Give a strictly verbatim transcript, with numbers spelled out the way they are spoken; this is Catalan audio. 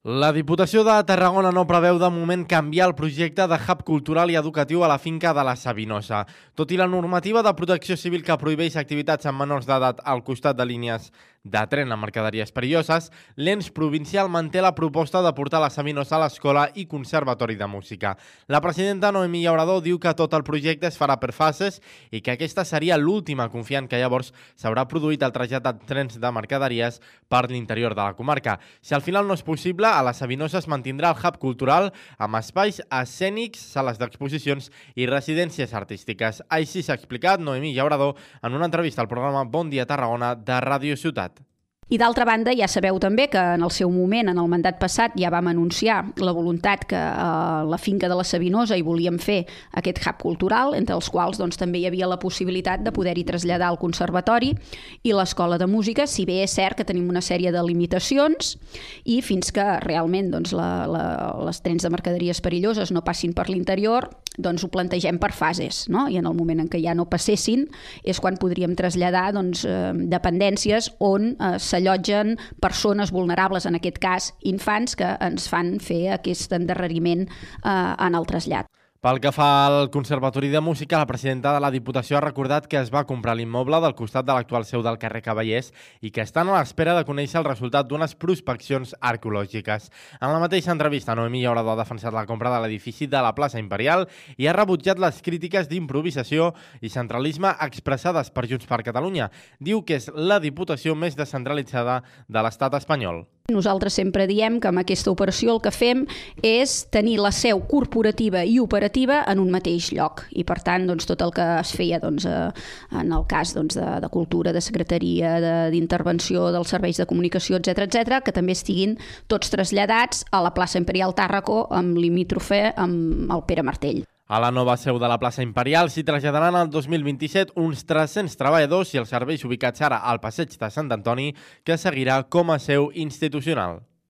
La Diputació de Tarragona no preveu de moment canviar el projecte de hub cultural i educatiu a la finca de la Sabinosa. Tot i la normativa de protecció civil que prohibeix activitats amb menors d'edat al costat de línies de tren amb mercaderies perilloses, l'ens provincial manté la proposta de portar la Sabinosa a l'escola i conservatori de música. La presidenta Noemí Llauradó diu que tot el projecte es farà per fases i que aquesta seria l'última, confiant que llavors s'haurà produït el trasllat de trens de mercaderies per l'interior de la comarca. Si al final no és possible, a la Sabinosa es mantindrà el hub cultural amb espais escènics, sales d'exposicions i residències artístiques. Així s'ha explicat Noemí Llauradó en una entrevista al programa Bon Dia Tarragona de Ràdio Ciutat. I d'altra banda, ja sabeu també que en el seu moment, en el mandat passat, ja vam anunciar la voluntat que a la finca de la Sabinosa hi volíem fer aquest hub cultural, entre els quals doncs, també hi havia la possibilitat de poder-hi traslladar el conservatori i l'escola de música, si bé és cert que tenim una sèrie de limitacions i fins que realment doncs, la, la, les trens de mercaderies perilloses no passin per l'interior, doncs ho plantegem per fases, no? I en el moment en què ja no passessin és quan podríem traslladar doncs, eh, dependències on eh, s'allotgen persones vulnerables, en aquest cas infants, que ens fan fer aquest endarreriment eh, en el trasllat. Pel que fa al Conservatori de Música, la presidenta de la Diputació ha recordat que es va comprar l'immoble del costat de l'actual seu del carrer Cavallers i que estan a l'espera de conèixer el resultat d'unes prospeccions arqueològiques. En la mateixa entrevista, Noemí Llauradó ha defensat la compra de l'edifici de la plaça Imperial i ha rebutjat les crítiques d'improvisació i centralisme expressades per Junts per Catalunya. Diu que és la Diputació més descentralitzada de l'estat espanyol. Nosaltres sempre diem que amb aquesta operació el que fem és tenir la seu corporativa i operativa en un mateix lloc i per tant doncs, tot el que es feia doncs, eh, en el cas doncs, de, de cultura, de secretaria, d'intervenció dels serveis de comunicació, etcètera, etcètera, que també estiguin tots traslladats a la plaça Imperial Tàrraco amb limítrofe amb el Pere Martell. A la nova seu de la plaça Imperial s'hi traslladaran el dos mil vint-i-set uns tres-cents treballadors i els serveis ubicats ara al passeig de Sant Antoni, que seguirà com a seu institucional.